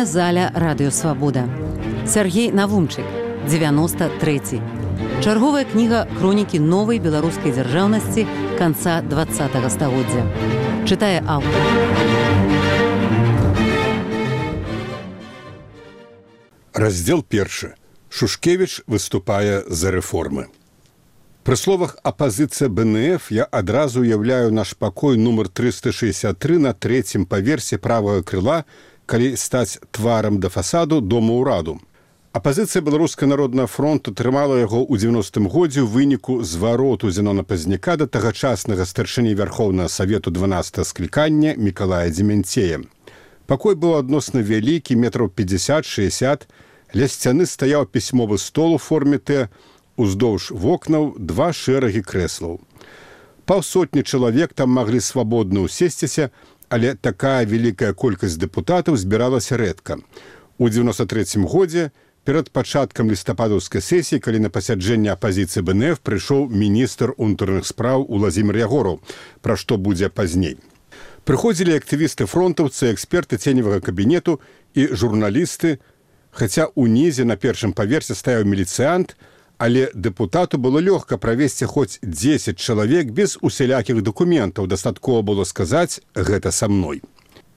Аўдыёзаля Радыёсвабода. Сяргей Навумчык, 93. Чарговая кніга хронікі новай беларускай дзяржаўнасці канца 20-го стагоддзя. Чытае аўтар. Раздзел 1. Шушкевіч выступае за рэформы. Пры словах «апазіцыя БНФ» я адразу уяўляю наш пакой нумар 363 на трэцім паверсе правага крыла, калі стаць тварам да фасаду Дома ўраду. Апазіцыя Беларускага народнага фронту трымала яго ў 90-м годзе ў выніку звароту Зенона Пазняка да тагачаснага старшыні Вярхоўнага Савету 12-го склікання Мікалая Дземянцея. Пакой быў адносна вялікі, метраў 50-60, ля сцяны стаяў пісьмовы стол у форме Т, уздоўж вокнаў 2 шэрагі крэслаў. Паўсотні чалавек там маглі свабодна ўсесціся, але такая вялікая колькасць дэпутатаў збіралася рэдка. У 93-м годзе, перад пачаткам лістападаўскай сесіі, калі на пасяджэнне апазіцыі БНФ прыйшоў міністр унутраных спраў Уладзімір Ягораў, пра што будзе пазней. Прыходзілі актывісты фронтаўцы, эксперты ценевага кабінету і журналісты, хаця ўнізе на першым паверсе стаяў міліцыянт, але дэпутату было лёгка правесці хоць 10 чалавек без усялякіх дакументаў. Дастаткова было сказаць «гэта са мной».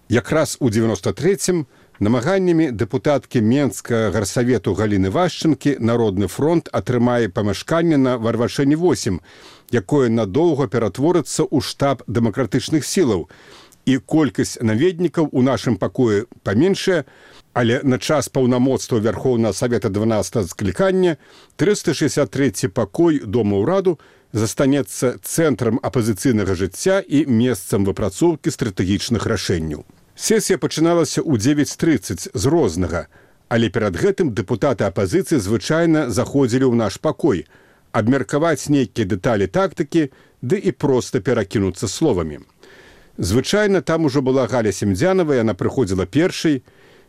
Якраз у 93-м намаганнямі дэпутаткі Менскага гарсавету Галіны Вашчынкі Народны фронт атрымае памяшканне на Варвашэні 8, якое надоўга ператворыцца ў штаб дэмакратычных сілаў. І колькасць наведнікаў у нашым пакоі паменшая, але на час паўнамоцтва Вярхоўнага Савета 12-го склікання 363 пакой Дома ўраду застанецца цэнтрам апазіцыйнага жыцця і месцам выпрацоўкі стратэгічных рашэнняў. Сесія пачыналася ў 9:30 з рознага, але перад гэтым дэпутаты апазіцыі звычайна заходзілі ў наш пакой, абмеркаваць нейкія дэталі тактыкі, ды і проста перакінуцца словамі. Звычайна там ужо была Галя Семдзянова, яна прыходзіла першай.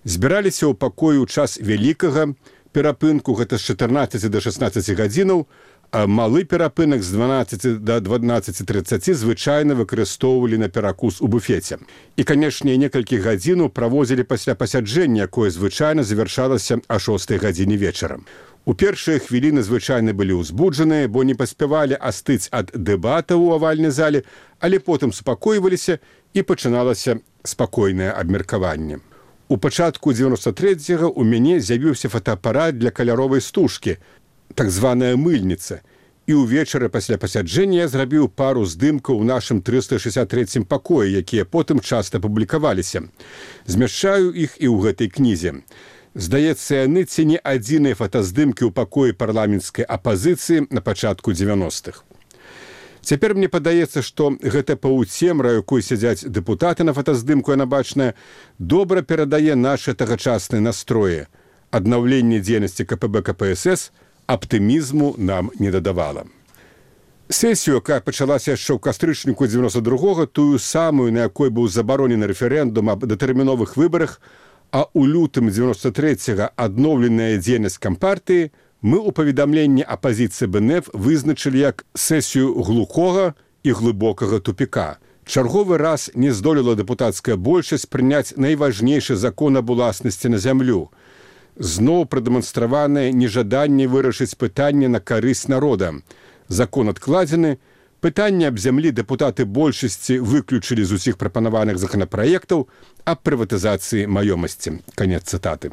Збіраліся ў пакоі ў час вялікага перапынку, гэта з 14 да 16 гадзінаў, а малы перапынак з 12 да 12:30 звычайна выкарыстоўвалі на перакус у буфеце. І, канешне, некалькі гадзінаў праводзілі пасля пасяджэння, якое звычайна завяршалася а 6 гадзіне вечара. У першыя хвіліны звычайна былі ўзбуджаныя, бо не паспявалі астыць ад дэбатаў у авальнай зале, але потым супакойваліся і пачыналася спакойнае абмеркаванне. У пачатку 93-го у мяне з'явіўся фотоапарат для каляровай стужкі, так званая мыльніца, і ўвечары пасля пасяджэння я зрабіў пару здымкаў у нашым 363-м пакоі, якія потым часта публікаваліся. Змяшчаю іх і ў гэтай кнізе. Здаецца, яны ці не адзіныя фотаздымкі ў пакоі парламенцкай апазіцыі на пачатку 90-х. Цяпер мне падаецца, што гэта паўцемра, якой сядзяць дэпутаты на фотаздымку, яна бачная, добра перадае нашы тагачасныя настроі. Аднаўленне дзейнасці КПБ КПСС аптымізму нам не дадавала. Сесію, якая пачалася яшчэ ў кастрычніку 92-го, тую самую, на якой быў забаронены рэферэндум аб датэрміновых выбарах, а ў лютым 93-го адноўленая дзейнасць кампартыі, мы ў паведамленні апазіцыі БНФ вызначылі як сесію глухога і глыбокага тупіка. Чарговы раз не здолела дэпутацкая большасць прыняць найважнейшы закон аб уласнасці на зямлю. Зноў прадэманстраванае нежаданне вырашыць пытанне на карысць народа. Закон адкладзены, пытанне аб зямлі дэпутаты большасці выключылі з усіх прапанаваных законапраектаў аб прыватызацыі маёмасці. Канец цытаты.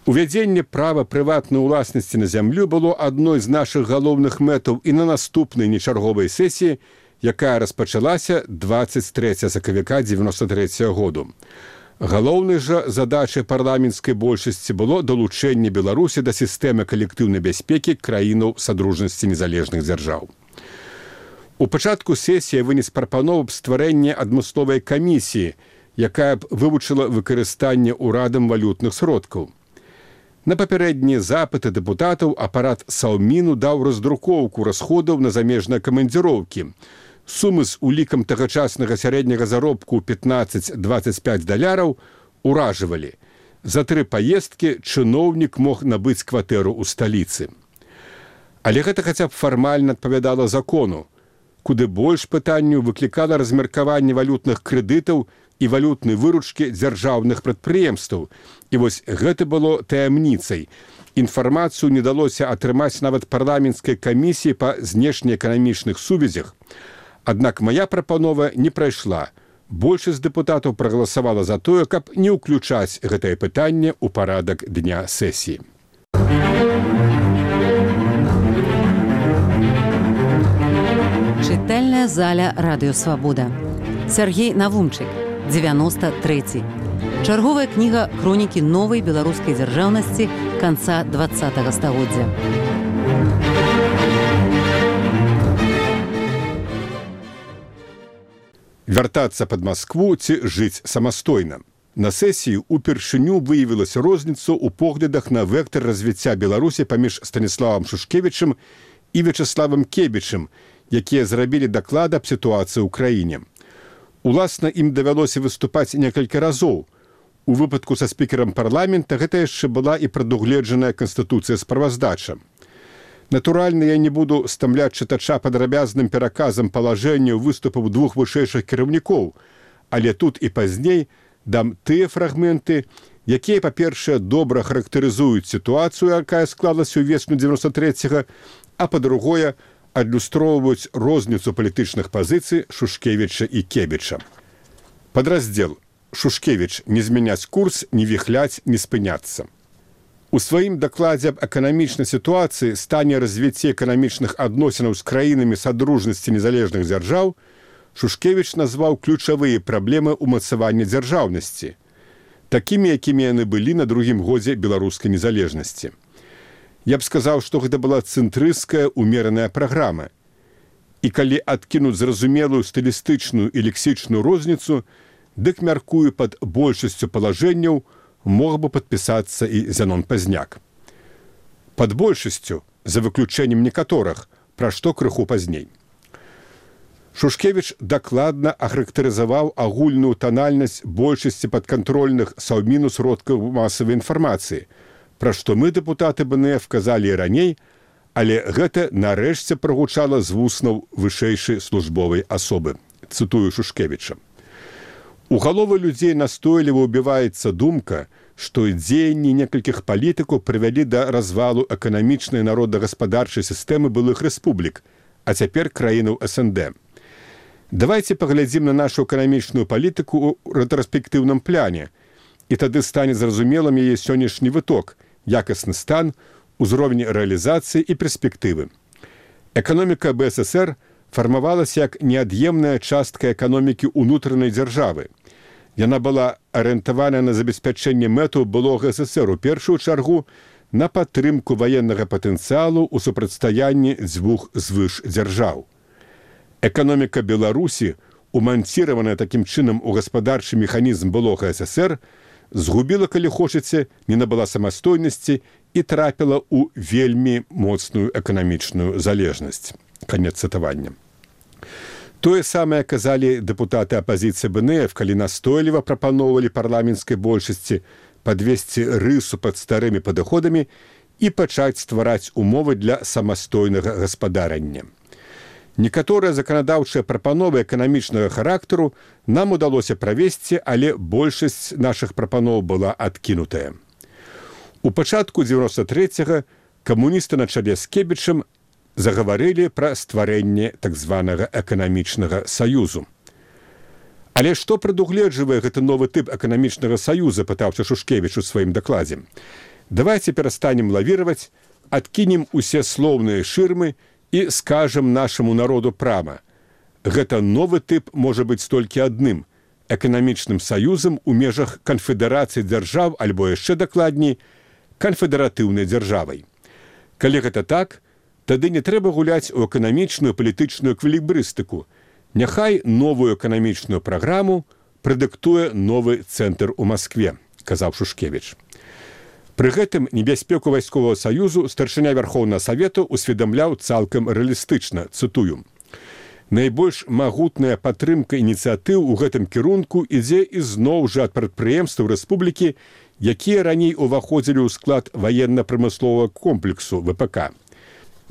Увядзенне права прыватнай уласнасці на зямлю было адной з нашых галоўных мэтаў і на наступнай нечарговай сесіі, якая распачалася 23 сакавіка 93 году. Галоўнай жа задачай парламенцкай большасці было далучэнне Беларусі да сістэмы калектыўнай бяспекі краінаў садружнасці незалежных дзяржаў. У пачатку сесіі вынес прапанову аб стварэнні адмысловай камісіі, якая б вывучыла выкарыстанне ўрадам валютных сродкаў. На папярэднія запыты дэпутатаў апарат Саўміну даў раздрукоўку расходаў на замежныя камандзіроўкі. Сумы з улікам тагачаснага сярэдняга заробку 15-25 даляраў уражвалі. За 3 паездкі чыноўнік мог набыць кватэру ў сталіцы. Але гэта хаця б фармальна адпавядала закону. Куды больш пытанняў выклікала размеркаванне валютных крэдытаў і валютнай выручкі дзяржаўных прадпрыемстваў. І вось гэта было таямніцай. Інфармацыю не далося атрымаць нават парламенцкай камісіі па знешнеэканамічных сувязях. Аднак мая прапанова не прайшла. Большасць дэпутатаў прагаласавала за тое, каб не ўключаць гэтае пытанне ў парадак дня сесіі. Чытальная заля Радыё Свабода. Сяргей Навумчык, 93. Чарговая кніга хронікі новай беларускай дзяржаўнасці канца 20-го стагоддзя. Вяртацца пад Маскву ці жыць самастойна. На сесіі упершыню выявілася розніцу ў поглядах на вектар развіцця Беларусі паміж Станіславам Шушкевічым і Вячеславам Кебічым, якія зрабілі даклад аб сітуацыі ў краіне. Уласна, ім давялося выступаць некалькі разоў. У выпадку са спікерам парламента гэта яшчэ была і прадугледжаная Канстытуцыя справаздача. Натуральна, я не буду стамляць чытача падрабязным пераказам палажэнняў выступаў двух вышэйшых кіраўнікоў, але тут і пазней дам тыя фрагменты, якія, па-першае, добра характарызуюць сітуацыю, якая склалася ўвесну 93-го, а па-другое, адлюстроўваюць розніцу палітычных пазіцый Шушкевіча і Кебіча. Падраздзел. Шушкевіч. Не змяняць курс, не віхляць, не спыняцца. У сваім дакладзе аб эканамічнай сітуацыі, стане развіцця эканамічных адносінаў з краінамі садружнасці незалежных дзяржаў, Шушкевіч назваў ключавыя праблемы ўмацавання дзяржаўнасці, такімі, якімі яны былі на другім годзе беларускай незалежнасці. Я б сказаў, што гэта была цэнтрысцкая умераная праграма. І калі адкінуць зразумелую стылістычную і лексічную розніцу, дык, мяркую, пад большасцю палажэнняў мог бы падпісацца і Зянон Пазняк. Пад большасцю, за выключэннем некаторых, пра што крыху пазней. Шушкевіч дакладна ахарактарызаваў агульную танальнасць большасці падкантрольных Саўміну сродкаў масавай інфармацыі, пра што мы, дэпутаты БНФ, казалі і раней, але гэта нарэшце прагучала з вуснаў вышэйшай службовай асобы. Цытую Шушкевіча. У галовы людзей настойліва ўбіваецца думка, што дзеянні некалькіх палітыкаў прывялі да развалу эканамічнай народна-гаспадарчай сістэмы былых рэспублік, а цяпер краінаў СНД. Давайце паглядзім на нашу эканамічную палітыку ў рэтраспектыўным пляне, і тады стане зразумелым яе сённяшні выток, якасны стан, узровень рэалізацыі і перспектывы. Эканоміка БССР фармавалася як неад'емная частка эканомікі ўнутранай дзяржавы. Яна была арыентавана на забеспячэнне мэтаў былога ССР, у першую чаргу на падтрымку ваеннага патэнцыялу ў супрацьстаянні дзвюх звыш дзяржаў. Эканоміка Беларусі, уманціраваная такім чынам у гаспадарчы механізм былога ССР, згубіла, калі хочаце, не набыла самастойнасці і трапіла ў вельмі моцную эканамічную залежнасць. Канец цытавання. Тое самае казалі дэпутаты апазіцыі БНФ, калі настойліва прапаноўвалі парламенцкай большасці падвесці рысу пад старымі падыходамі і пачаць ствараць умовы для самастойнага гаспадарання. Некаторыя заканадаўчыя прапановы эканамічнага характару нам удалося правесці, але большасць нашых прапаноў была адкінутая. У пачатку 93-го камуністы на чале з Кебічам загаварылі пра стварэнне так званага эканамічнага саюзу. Але што прадугледжвае гэты новы тып эканамічнага саюза, пытаўся Шушкевіч у сваім дакладзе. Давайце перастанем лавіраваць, адкінем усе слоўныя шырмы і скажам нашаму народу прама. Гэта новы тып можа быць толькі адным – эканамічным саюзам у межах канфедэрацыі дзяржаў, альбо яшчэ дакладней, канфедэратыўнай дзяржавай. Калі гэта так, тады не трэба гуляць у эканамічную палітычную эквілібрыстыку. Няхай новую эканамічную праграму прадыктуе новы цэнтр у Маскве, казаў Шушкевіч. Пры гэтым небяспеку вайсковага саюзу старшыня Вярхоўнага Савету усведамляў цалкам рэалістычна, цытую. Найбольш магутная падтрымка ініцыятыў у гэтым кірунку ідзе ізноў жа ад прадпрыемстваў рэспублікі, якія раней уваходзілі ў склад ваенна-прамысловага комплексу ВПК.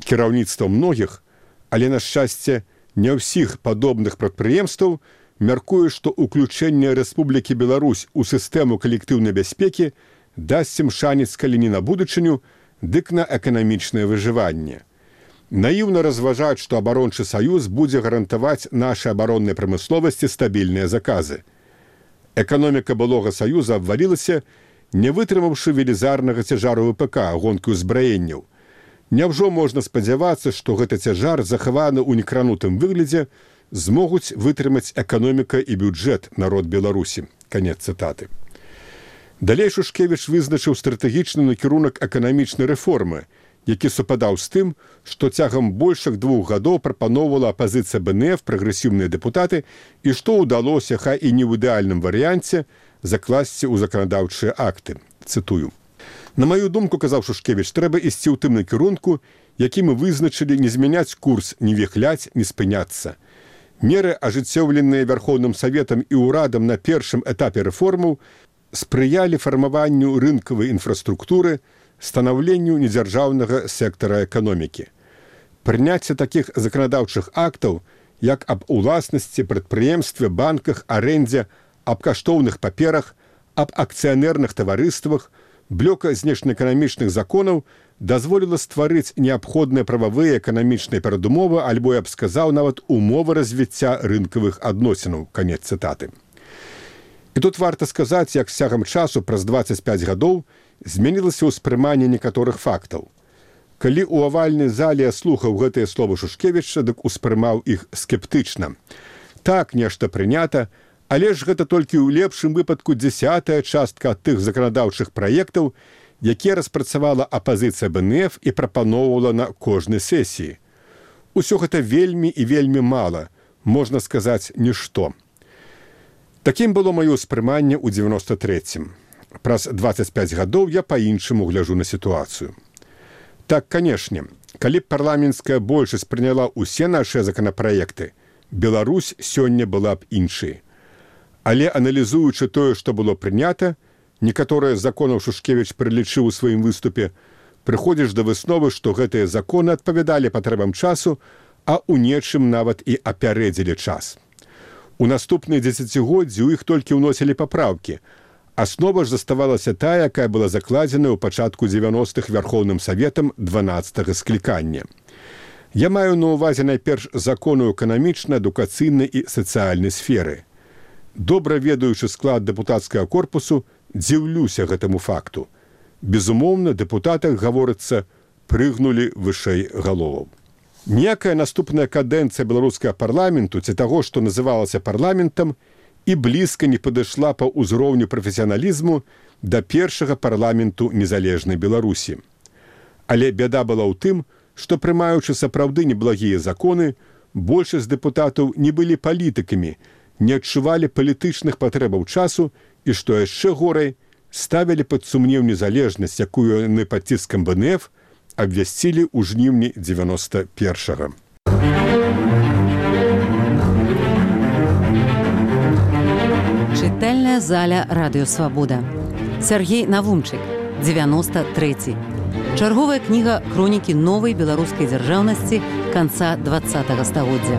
Кіраўніцтва многіх, але, на шчасце, не ўсіх падобных прадпрыемстваў мяркуе, што ўключэнне Рэспублікі Беларусь у сістэму калектыўнай бяспекі дасць ім шанец, калі не на будучыню, дык на эканамічнае выжыванне. Наіўна разважаць, што абарончы саюз будзе гарантаваць нашай абароннай прамысловасці стабільныя заказы. Эканоміка былога саюза абвалілася, не вытрымаўшы велізарнага цяжару ВПК, гонкі ўзбраенняў. Няўжо можна спадзявацца, што гэты цяжар, захаваны ў некранутым выглядзе, змогуць вытрымаць эканоміка і бюджэт народ Беларусі. Канец цытаты. Далей Шушкевіч вызначыў стратэгічны накірунак эканамічнай рэформы, які супадаў з тым, што цягам большых 2 гадоў прапаноўвала апазіцыя БНФ, прагрэсіўныя дэпутаты, і што ўдалося, хай і не ў ідэальным варыянце, закласці ў заканадаўчыя акты. Цытую. На маю думку, казаў Шушкевіч, трэба ісці ў тым накірунку, які мы вызначылі, не змяняць курс, не віхляць, не спыняцца. Меры, ажыццёўленыя Вярхоўным Саветам і ўрадам на першым этапе рэформаў, спрыялі фармаванню рынкавай інфраструктуры, станаўленню недзяржаўнага сектара эканомікі. Прыняцце такіх заканадаўчых актаў, як аб уласнасці, прадпрыемстве, банках, арэндзе, аб каштоўных паперах, аб акцыянерных таварыствах, блёка знешнеэканамічных законаў дазволіла стварыць неабходныя прававыя эканамічныя перадумовы, альбо, я б сказаў, нават умовы развіцця рынкавых адносінаў. Канец цытаты. І тут варта сказаць, як з цягам часу, праз 25 гадоў, змянілася ўспрыманне некаторых фактаў. Калі ў авальнай зале я слухаў гэтыя словы Шушкевіча, дык успрымаў іх скептычна. Так, нешта прынята, але ж гэта толькі ў лепшым выпадку 10-я частка ад тых заканадаўчых праектаў, якія распрацавала апазіцыя БНФ і прапаноўвала на кожнай сесіі. Усё гэта вельмі і вельмі мала, можна сказаць, нішто. Такім было маё ўспрыманне ў 93-м. Праз 25 гадоў я па-іншаму гляжу на сітуацыю. Так, канешне, калі б парламенцкая большасць прыняла ўсе нашыя законапраекты, Беларусь сёння была б іншай. Але аналізуючы тое, што было прынята, некаторыя з законаў Шушкевіч прылічыў у сваім выступе, прыходзіш да высновы, што гэтыя законы адпавядалі патрэбам часу, а ў нечым нават і апярэдзілі час. У наступныя дзесяцігоддзі ў іх толькі ўносілі папраўкі. Аснова ж заставалася тая, якая была закладзена ў пачатку 90-х Вярхоўным Саветам 12-га склікання. Я маю на ўвазе найперш законы эканамічнай, адукацыйнай і сацыяльнай сферы. Добра ведаючы склад дэпутацкага корпусу, дзіўлюся гэтаму факту. Безумоўна, дэпутатах, гаворыцца, прыгнулі вышэй галоваў. Ніякая наступная кадэнцыя беларускага парламенту ці таго, што называлася парламентам, і блізка не падышла па ўзроўню прафесіяналізму да першага парламенту незалежнай Беларусі. Але бяда была ў тым, што прымаючы сапраўды неблагія законы, большасць дэпутатаў не былі палітыкамі, не адчувалі палітычных патрэбаў часу і, што яшчэ горай, ставілі пад сумнеў незалежнасць, якую яны пад ціскам БНФ абвясцілі ў жніўні 91-га. Чытальная заля Радыё Свабода. Сергей Навумчык, 93. Чарговая кніга хронікі новай беларускай дзяржаўнасці канца 20-го стагоддзя.